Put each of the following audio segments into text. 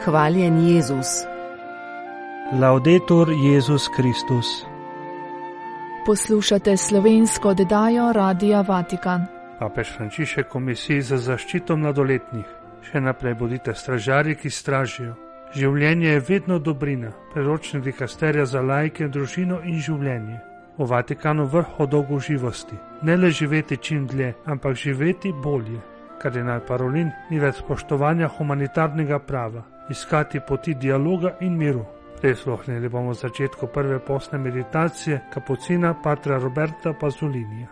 Hvaljen Jezus. Laudetur Jezus Kristus. Poslušate slovensko oddajo Radia Vatikan. Papež Frančišek Komisiji za zaščito mladoletnih. Še naprej bodite stražarji, ki stražijo. Življenje je vedno dobrina. Priročnik dikasterija za laike, družino in življenje. V Vatikanu vrh o dolgoživosti. Ne le živeti čim dlje, ampak živeti bolje. Kardinal Parolin ni več spoštovanja humanitarnega prava, iskati poti dialoga in miru. Prisluhnili bomo začetku prve postne meditacije kapucina patra Roberta Pazzolinija.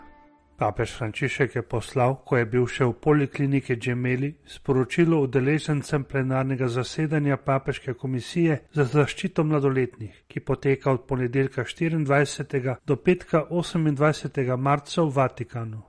Papež Frančišek je poslal, ko je bil še v polikliniki Gemelli, sporočilo udeležencem plenarnega zasedanja Papeške komisije za zaščito mladoletnih, ki poteka od ponedeljka 24. do petka 28. marca v Vatikanu.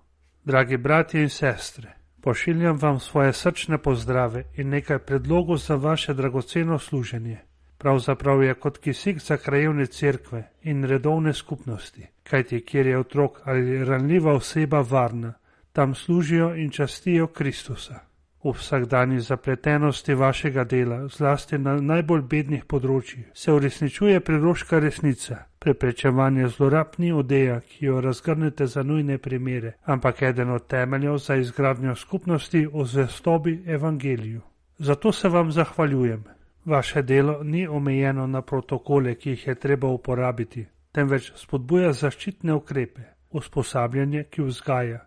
Dragi bratje in sestre, pošiljam vam svoje srčne pozdrave in nekaj predlogov za vaše dragoceno služenje. Pravzaprav je kot kisik za krajevne cerkve in redovne skupnosti, kajti kjer je otrok ali ranljiva oseba varna, tam služijo in častijo Kristusa. V vsakdanji zapletenosti vašega dela, zlasti na najbolj bednih področjih, se uresničuje priroška resnica. Preprečevanje zlorab ni odeja, ki jo razgrnete za nujne primere, ampak eden od temeljev za izgradnjo skupnosti o zvestobi evangeliju. Zato se vam zahvaljujem. Vaše delo ni omejeno na protokole, ki jih je treba uporabiti, temveč spodbuja zaščitne ukrepe, usposabljanje, ki vzgaja,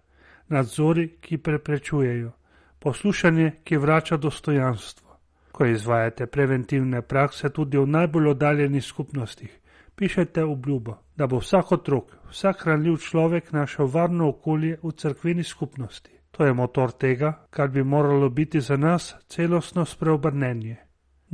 nadzori, ki preprečujejo, poslušanje, ki vrača dostojanstvo. Ko izvajate preventivne prakse tudi v najbolj oddaljenih skupnostih, pišete obljubo, da bo vsak otrok, vsak ranljiv človek našel varno okolje v cerkveni skupnosti. To je motor tega, kar bi moralo biti za nas celostno spreobrnenje.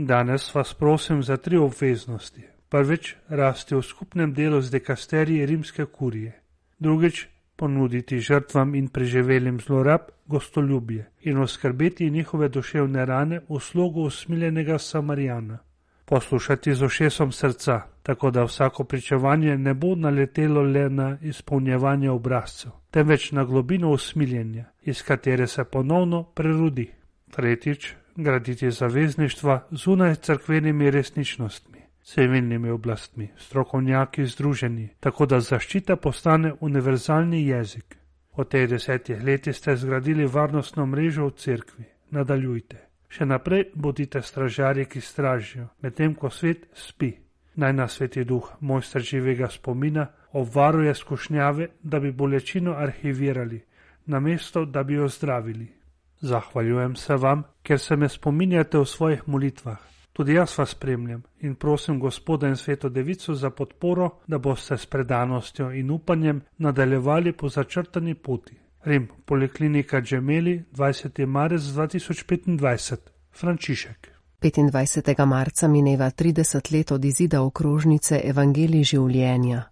Danes vas prosim za 3 obveznosti. Prvič, rasti v skupnem delu z dikasteriji rimske kurije. Drugič, ponuditi žrtvam in preživelim zlorab gostoljubje in oskrbeti njihove duševne rane v slogu usmiljenega Samarijana. Poslušati z ušesom srca, tako da vsako pričevanje ne bo naletelo le na izpolnjevanje obrazcev, temveč na globino usmiljenja, iz katere se ponovno prerodi. Tretjič, graditi zavezništva zunaj cerkvenimi resničnostmi, civilnimi oblastmi, strokovnjaki združeni, tako da zaščita postane univerzalni jezik. V teh 10 letih ste zgradili varnostno mrežo v cerkvi. Nadaljujte. Še naprej bodite stražarji, ki stražijo, medtem ko svet spi. Naj nas Sveti Duh, mojster živega spomina, obvaruje skušnjave, da bi bolečino arhivirali, namesto da bi jo zdravili. Zahvaljujem se vam, ker se me spominjate v svojih molitvah. Tudi jaz vas spremljam in prosim Gospoda in Sveto Devico za podporo, da boste s predanostjo in upanjem nadaljevali po začrtani poti. Rim, poliklinika Gemelli, 20. marec 2025. Frančišek. 25. marca mineva 30 let od izida okrožnice Evangelij življenja.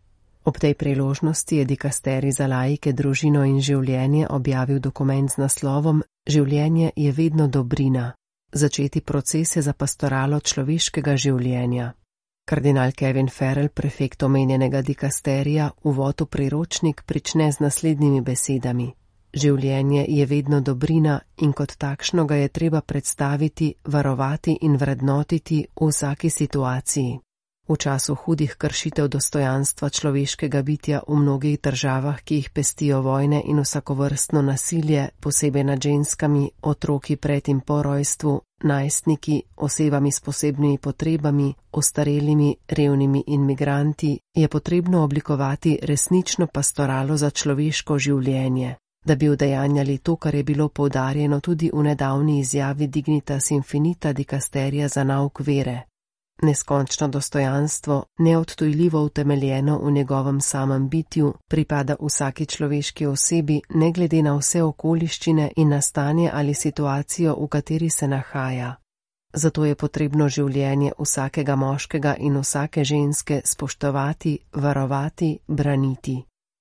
Ob tej priložnosti je dikasterij za laike, družino in življenje objavil dokument z naslovom Življenje je vedno dobrina. Začeti procese za pastoralo človeškega življenja. Kardinal Kevin Farrell, prefekt omenjenega dikasterija, uvod v priročnik prične z naslednjimi besedami. Življenje je vedno dobrina in kot takšno ga je treba predstaviti, varovati in vrednotiti v vsaki situaciji. V času hudih kršitev dostojanstva človeškega bitja v mnogih državah, ki jih pestijo vojne in vsakovrstno nasilje, posebej nad ženskami, otroki pred in po rojstvu, najstniki, osebami s posebnimi potrebami, ostarelimi, revnimi in migranti, je potrebno oblikovati resnično pastoralo za človeško življenje, da bi udejanjali to, kar je bilo poudarjeno tudi v nedavni izjavi Dignitas Infinita dikasterija za nauk vere. Neskončno dostojanstvo, neodtujljivo utemeljeno v njegovem samem bitju, pripada vsaki človeški osebi, ne glede na vse okoliščine in na stanje ali situacijo, v kateri se nahaja. Zato je potrebno življenje vsakega moškega in vsake ženske spoštovati, varovati, braniti.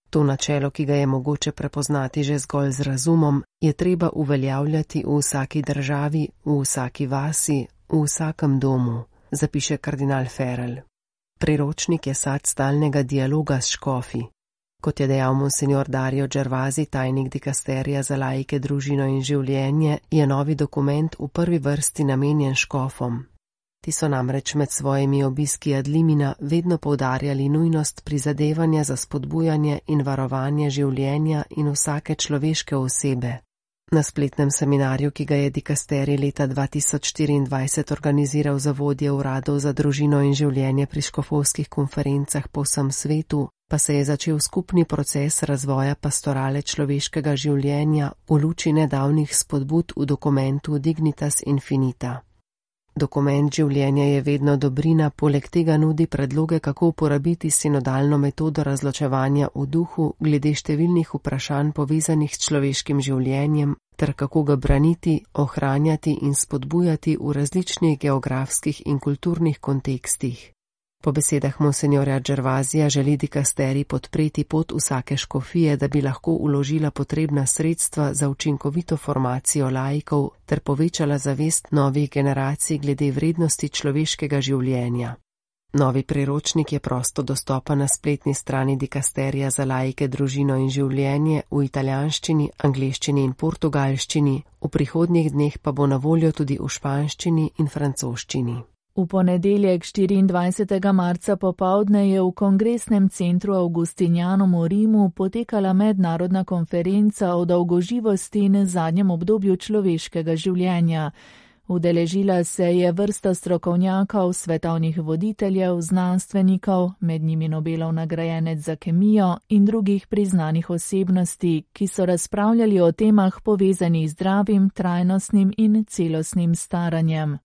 To načelo, ki ga je mogoče prepoznati že zgolj z razumom, je treba uveljavljati v vsaki državi, v vsaki vasi, v vsakem domu. Zapiše kardinal Farrell. Priročnik je sad stalnega dialoga s škofi. Kot je dejal monsignor Dario Gervasi, tajnik dikasterija za laike, družino in življenje, je novi dokument v prvi vrsti namenjen škofom. Ti so namreč med svojimi obiski Adlimina vedno poudarjali nujnost prizadevanja za spodbujanje in varovanje življenja in vsake človeške osebe. Na spletnem seminarju, ki ga je dikasterij leta 2024 organiziral za vodje uradov za družino in življenje pri škofovskih konferencah po vsem svetu, pa se je začel skupni proces razvoja pastorale človeškega življenja v luči nedavnih spodbud v dokumentu Dignitas Infinita. Dokument Življenje je vedno dobrina, poleg tega nudi predloge, kako uporabiti sinodalno metodo razločevanja v duhu glede številnih vprašanj povezanih s človeškim življenjem, ter kako ga braniti, ohranjati in spodbujati v različnih geografskih in kulturnih kontekstih. Po besedah monsenjorja Gervasija želi dikasterij podpreti pot vsake škofije, da bi lahko vložila potrebna sredstva za učinkovito formacijo laikov ter povečala zavest novih generacij glede vrednosti človeškega življenja. Novi priročnik je prosto dostopen na spletni strani dikasterija za laike, družino in življenje v italijanščini, angleščini in portugalščini, v prihodnjih dneh pa bo na voljo tudi v španščini in francoščini. V ponedeljek 24. marca popoldne je v Kongresnem centru Augustinianum v Rimu potekala mednarodna konferenca o dolgoživosti in zadnjem obdobju človeškega življenja. Udeležila se je vrsta strokovnjakov, svetovnih voditeljev, znanstvenikov, med njimi Nobelov nagrajenec za kemijo in drugih priznanih osebnosti, ki so razpravljali o temah povezanih z zdravim, trajnostnim in celostnim staranjem.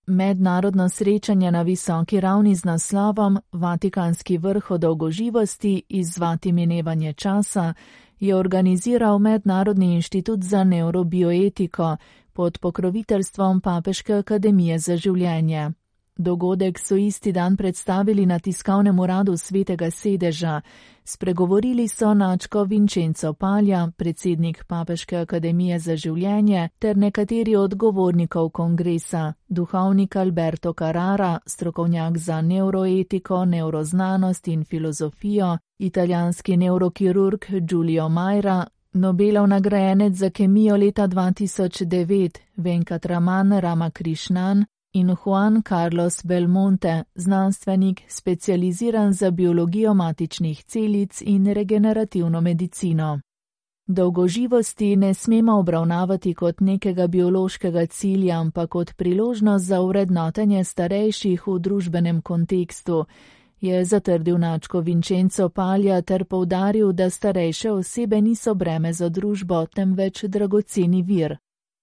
Mednarodno srečanje na visoki ravni z naslovom Vatikanski vrh o dolgoživosti izzvati minevanje časa je organiziral Mednarodni inštitut za neurobioetiko pod pokroviteljstvom Papeške akademije za življenje. Dogodek so isti dan predstavili na tiskovnem uradu Svetega sedeža. Spregovorili so nadškof Vincenzo Paglia, predsednik Papeške akademije za življenje, ter nekateri od govornikov kongresa, duhovnik Alberto Carrara, strokovnjak za neuroetiko, neuroznanost in filozofijo, italijanski neurokirurg Giulio Maira, Nobelov nagrajenec za kemijo leta 2009 Venkatraman Ramakrishnan in Juan Carlos Belmonte, znanstvenik specializiran za biologijo matičnih celic in regenerativno medicino. Dolgoživosti ne smemo obravnavati kot nekega biološkega cilja, ampak kot priložnost za vrednotenje starejših v družbenem kontekstu, je zatrdil nadškof Vincenzo Paglia ter poudaril, da starejše osebe niso breme za družbo, temveč dragoceni vir.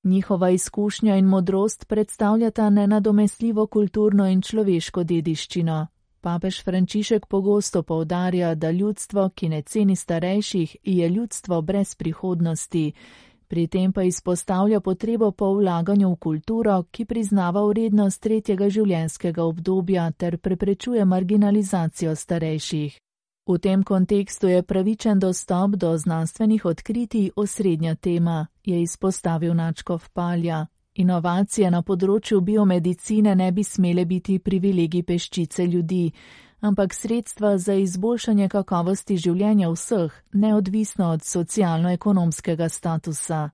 Njihova izkušnja in modrost predstavljata nenadomestljivo kulturno in človeško dediščino. Papež Frančišek pogosto poudarja, da ljudstvo, ki ne ceni starejših, je ljudstvo brez prihodnosti. Pri tem pa izpostavlja potrebo po vlaganju v kulturo, ki priznava vrednost tretjega življenjskega obdobja ter preprečuje marginalizacijo starejših. V tem kontekstu je pravičen dostop do znanstvenih odkritij osrednja tema, je izpostavil nadškof Paglia. Inovacije na področju biomedicine ne bi smele biti privilegij peščice ljudi, ampak sredstva za izboljšanje kakovosti življenja vseh, neodvisno od socialno-ekonomskega statusa.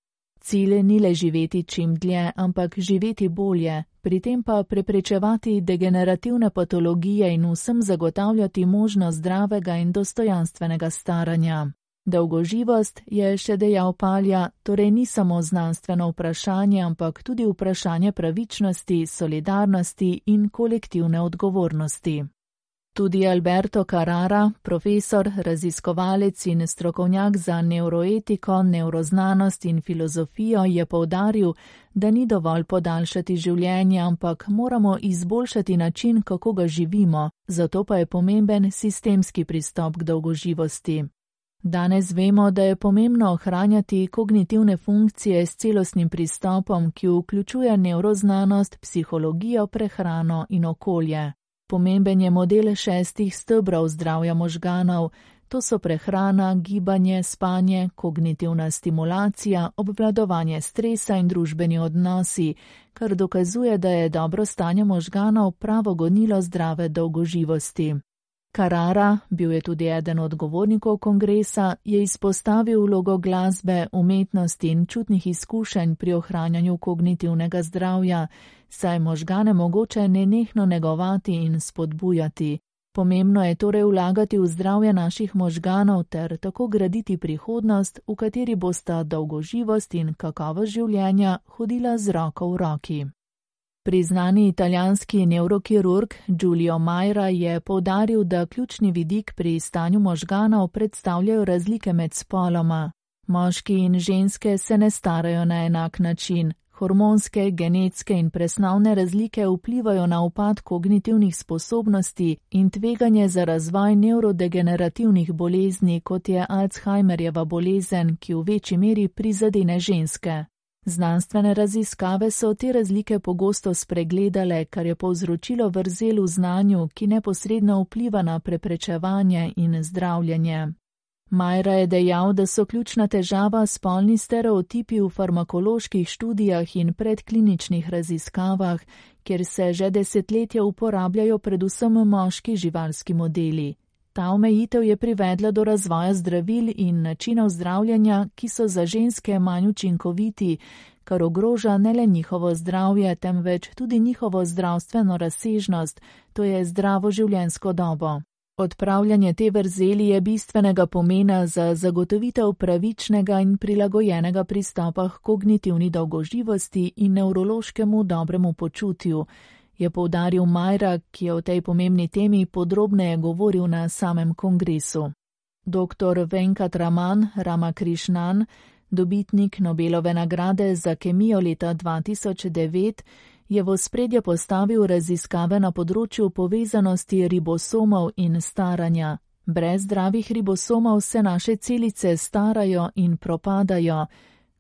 Cilj ni le živeti čim dlje, ampak živeti bolje, pri tem pa preprečevati degenerativne patologije in vsem zagotavljati možnost zdravega in dostojanstvenega staranja. Dolgoživost, je še dejal Paglia, torej ni samo znanstveno vprašanje, ampak tudi vprašanje pravičnosti, solidarnosti in kolektivne odgovornosti. Tudi Alberto Carrara, profesor, raziskovalec in strokovnjak za neuroetiko, neuroznanost in filozofijo, je poudaril, da ni dovolj podaljšati življenje, ampak moramo izboljšati način, kako ga živimo, zato pa je pomemben sistemski pristop k dolgoživosti. Danes vemo, da je pomembno ohranjati kognitivne funkcije s celostnim pristopom, ki vključuje neuroznanost, psihologijo, prehrano in okolje. Pomemben je model 6 stebrov zdravja možganov, to so prehrana, gibanje, spanje, kognitivna stimulacija, obvladovanje stresa in družbeni odnosi, kar dokazuje, da je dobro stanje možganov pravo gonilo zdrave dolgoživosti. Carrara, bil je tudi eden od govornikov kongresa, je izpostavil vlogo glasbe, umetnosti in čutnih izkušenj pri ohranjanju kognitivnega zdravja, saj možgane mogoče nenehno negovati in spodbujati. Pomembno je torej vlagati v zdravje naših možganov ter tako graditi prihodnost, v kateri bosta dolgoživost in kakovost življenja hodila z roko v roki. Priznani italijanski nevrokirurg Giulio Majra je poudaril, da ključni vidik pri stanju možganov predstavljajo razlike med spoloma. Moški in ženske se ne starajo na enak način. Hormonske, genetske in presnovne razlike vplivajo na upad kognitivnih sposobnosti in tveganje za razvoj nevrodegenerativnih bolezni, kot je Alzheimerjeva bolezen, ki v večji meri prizadene ženske. Znanstvene raziskave so te razlike pogosto spregledale, kar je povzročilo vrzel v znanju, ki neposredno vpliva na preprečevanje in zdravljenje. Majra je dejal, da so ključna težava spolni stereotipi v farmakoloških študijah in predkliničnih raziskavah, kjer se že desetletja uporabljajo predvsem moški živalski modeli. Ta omejitev je privedla do razvoja zdravil in načinov zdravljenja, ki so za ženske manj učinkoviti, kar ogroža ne le njihovo zdravje, temveč tudi njihovo zdravstveno razsežnost, to je zdravo življenjsko dobo. Odpravljanje te vrzeli je bistvenega pomena za zagotovitev pravičnega in prilagojenega pristopa k kognitivni dolgoživosti in nevrološkemu dobremu počutju, je poudaril Majra, ki je o tej pomembni temi podrobneje govoril na samem kongresu. Dr. Venkatraman Ramakrishnan, dobitnik Nobelove nagrade za kemijo leta 2009, je v ospredje postavil raziskave na področju povezanosti ribosomov in staranja. Brez zdravih ribosomov se naše celice starajo in propadajo.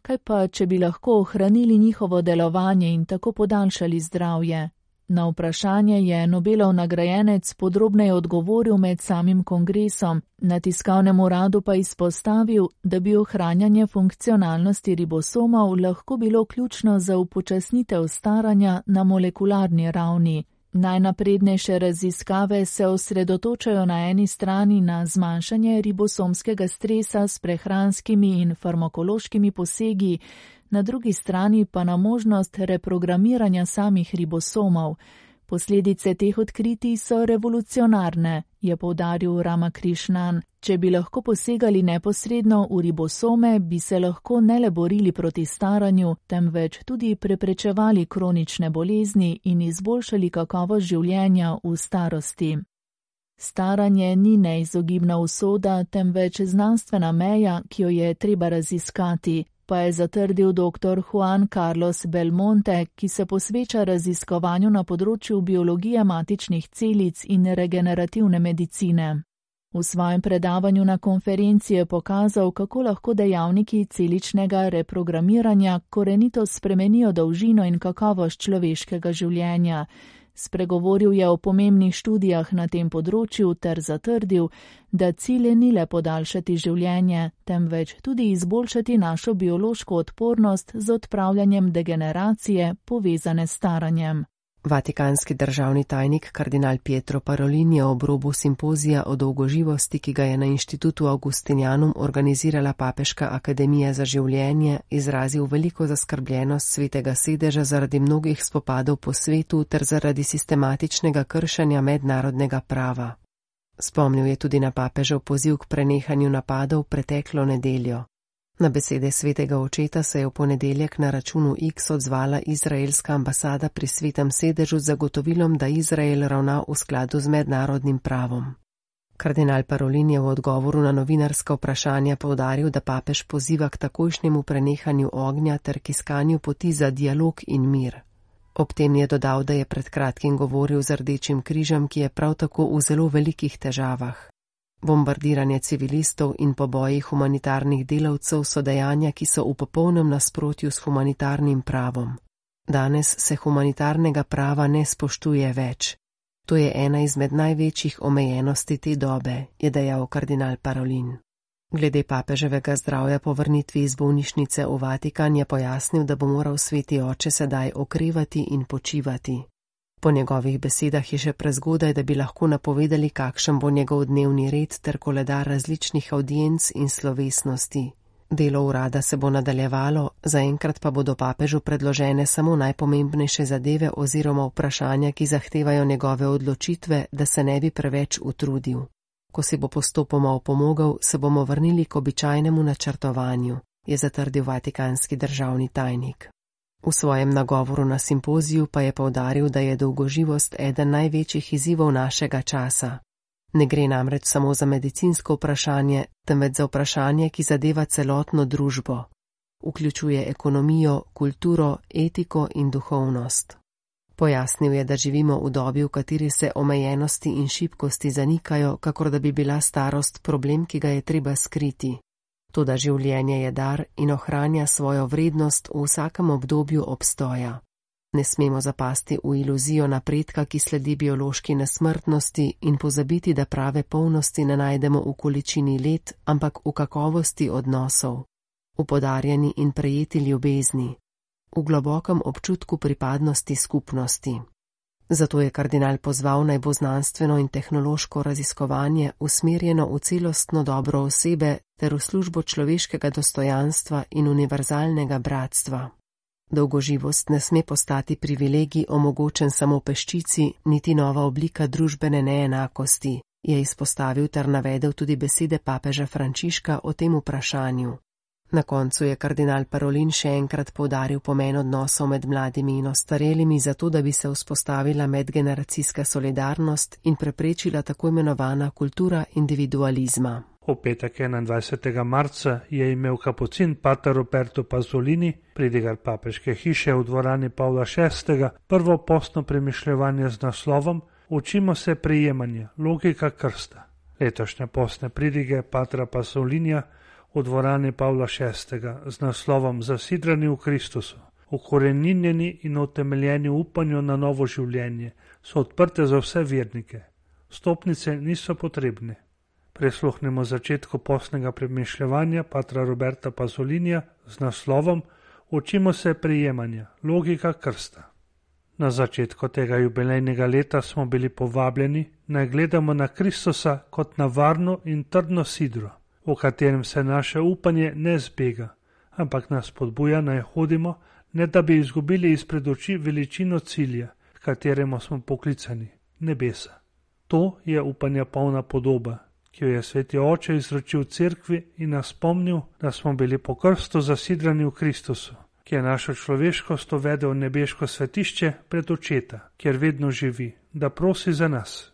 Kaj pa, če bi lahko ohranili njihovo delovanje in tako podaljšali zdravje? Na vprašanje je Nobelov nagrajenec podrobneje odgovoril med samim kongresom, na tiskovnem uradu pa izpostavil, da bi ohranjanje funkcionalnosti ribosomov lahko bilo ključno za upočasnitev staranja na molekularni ravni. Najnaprednejše raziskave se osredotočajo na eni strani na zmanjšanje ribosomskega stresa s prehranskimi in farmakološkimi posegi, na drugi strani pa na možnost reprogramiranja samih ribosomov. Posledice teh odkritij so revolucionarne, je poudaril Ramakrishnan. Če bi lahko posegali neposredno v ribosome, bi se lahko ne le borili proti staranju, temveč tudi preprečevali kronične bolezni in izboljšali kakovost življenja v starosti. Staranje ni neizogibna usoda, temveč znanstvena meja, ki jo je treba raziskati, pa je zatrdil dr. Juan Carlos Belmonte, ki se posveča raziskovanju na področju biologije matičnih celic in regenerativne medicine. V svojem predavanju na konferenci je pokazal, kako lahko dejavniki celičnega reprogramiranja korenito spremenijo dolžino in kakovost človeškega življenja. Spregovoril je o pomembnih študijah na tem področju ter zatrdil, da cilj ni le podaljšati življenje, temveč tudi izboljšati našo biološko odpornost z odpravljanjem degeneracije povezane s staranjem. Vatikanski državni tajnik kardinal Pietro Parolin je ob robu simpozija o dolgoživosti, ki ga je na Inštitutu Augustinianum organizirala Papeška akademija za življenje, izrazil veliko zaskrbljenost Svetega sedeža zaradi mnogih spopadov po svetu ter zaradi sistematičnega kršenja mednarodnega prava. Spomnil je tudi na papežev poziv k prenehanju napadov preteklo nedeljo. Na besede svetega očeta se je v ponedeljek na računu X odzvala izraelska ambasada pri Svetem sedežu z zagotovilom, da Izrael ravna v skladu z mednarodnim pravom. Kardinal Parolin je v odgovoru na novinarska vprašanja poudaril, da papež poziva k takojšnjemu prenehanju ognja ter k iskanju poti za dialog in mir. Ob tem je dodal, da je pred kratkim govoril z Rdečim križem, ki je prav tako v zelo velikih težavah. Bombardiranje civilistov in poboji humanitarnih delavcev so dejanja, ki so v popolnem nasprotju s humanitarnim pravom. Danes se humanitarnega prava ne spoštuje več. To je ena izmed največjih omejenosti te dobe, je dejal kardinal Parolin. Glede papeževega zdravja po vrnitvi iz bolnišnice v Vatikan je pojasnil, da bo moral sveti oče sedaj okrevati in počivati. Po njegovih besedah je še prezgodaj, da bi lahko napovedali, kakšen bo njegov dnevni red ter koledar različnih avdienc in slovesnosti. Delo urada se bo nadaljevalo, zaenkrat pa bodo papežu predložene samo najpomembnejše zadeve oziroma vprašanja, ki zahtevajo njegove odločitve, da se ne bi preveč utrudil. Ko si bo postopoma opomogel, se bomo vrnili k običajnemu načrtovanju, je zatrdil vatikanski državni tajnik. V svojem nagovoru na simpoziju pa je poudaril, da je dolgoživost eden največjih izzivov našega časa. Ne gre namreč samo za medicinsko vprašanje, temveč za vprašanje, ki zadeva celotno družbo. Vključuje ekonomijo, kulturo, etiko in duhovnost. Pojasnil je, da živimo v dobi, v kateri se omejenosti in šibkosti zanikajo, kakor da bi bila starost problem, ki ga je treba skriti. Toda življenje je dar in ohranja svojo vrednost v vsakem obdobju obstoja. Ne smemo zapasti v iluzijo napredka, ki sledi biološki nesmrtnosti, in pozabiti, da prave polnosti ne najdemo v količini let, ampak v kakovosti odnosov, v podarjeni in prejeti ljubezni, v globokem občutku pripadnosti skupnosti. Zato je kardinal pozval, naj bo znanstveno in tehnološko raziskovanje usmerjeno v celostno dobro osebe ter v službo človeškega dostojanstva in univerzalnega bratstva. Dolgoživost ne sme postati privilegij omogočen samo peščici, niti nova oblika družbene neenakosti, je izpostavil ter navedel tudi besede papeža Frančiška o tem vprašanju. Na koncu je kardinal Parolin še enkrat poudaril pomen odnosov med mladimi in ostarelimi, zato da bi se vzpostavila medgeneracijska solidarnost in preprečila tako imenovana kultura individualizma. V petek 21. marca je imel kapucin pater Roberto Pasolini, pridigar papeške hiše v dvorani Pavla VI, prvo postno premišljevanje z naslovom Učimo se prijemanja, logika krsta. Letošnje postne pridige patra Pasolinija v dvorani Pavla VI z naslovom Zasidrani v Kristusu, ukoreninjeni in utemeljeni v upanju na novo življenje, so odprte za vse vernike. Stopnice niso potrebne. Prisluhnemo začetku postnega premišljevanja patra Roberta Pasolinija z naslovom Učimo se prijemanja, logika krsta. Na začetku tega jubilejnega leta smo bili povabljeni, naj gledamo na Kristusa kot na varno in trdno sidro, v katerem se naše upanje ne zbega, ampak nas spodbuja, naj hodimo, ne da bi izgubili izpred oči veličino cilja, k kateremu smo poklicani, nebesa. To je upanja polna podoba, ki jo je sveti oče izročil cerkvi in nas spomnil, da smo bili po krstu zasidrani v Kristusu, ki je našo človeškost uvedel v nebeško svetišče pred očeta, kjer vedno živi, da prosi za nas.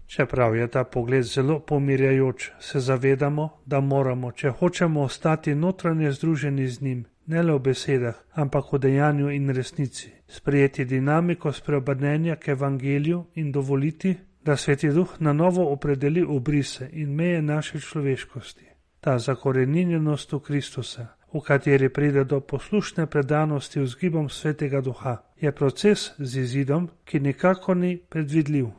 Čeprav je ta pogled zelo pomirjajoč, se zavedamo, da moramo, če hočemo ostati notranje združeni z njim, ne le v besedah, ampak v dejanju in resnici, sprejeti dinamiko spreobrnenja k evangeliju in dovoliti, da Sveti Duh na novo opredeli obrise in meje naše človeškosti. Ta zakoreninjenost v Kristusa, v kateri pride do poslušne predanosti vzgibom Svetega Duha, je proces z izidom, ki nikakor ni predvidljiv.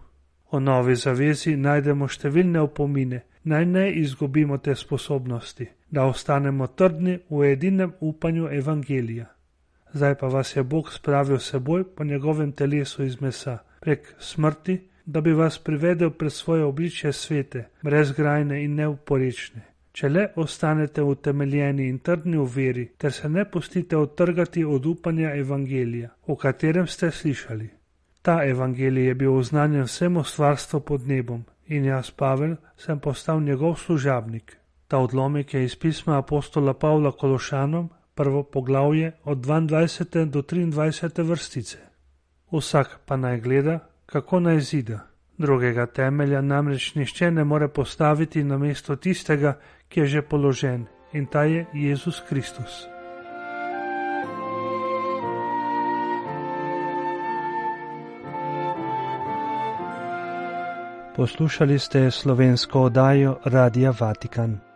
O novi zavezi najdemo številne opomine, naj ne izgubimo te sposobnosti, da ostanemo trdni v edinem upanju evangelija. Zdaj pa vas je Bog spravil seboj po njegovem telesu iz mesa, prek smrti, da bi vas privedel pred svoje obličje svete, brezgrajne in neuporečne. Če le ostanete utemeljeni in trdni v veri, ter se ne pustite odtrgati od upanja evangelija, o katerem ste slišali. Ta evangelij je bil oznanjen vsemu stvarstvu pod nebom in jaz, Pavel, sem postal njegov služabnik. Ta odlomek je iz pisma apostola Pavla Kološanom, prvo poglavje od 22. do 23. vrstice. Vsak pa naj gleda, kako naj zida. Drugega temelja namreč nihče ne more postaviti namesto tistega, ki je že položen, in ta je Jezus Kristus. Poslušali ste slovensko oddajo Radia Vatikan.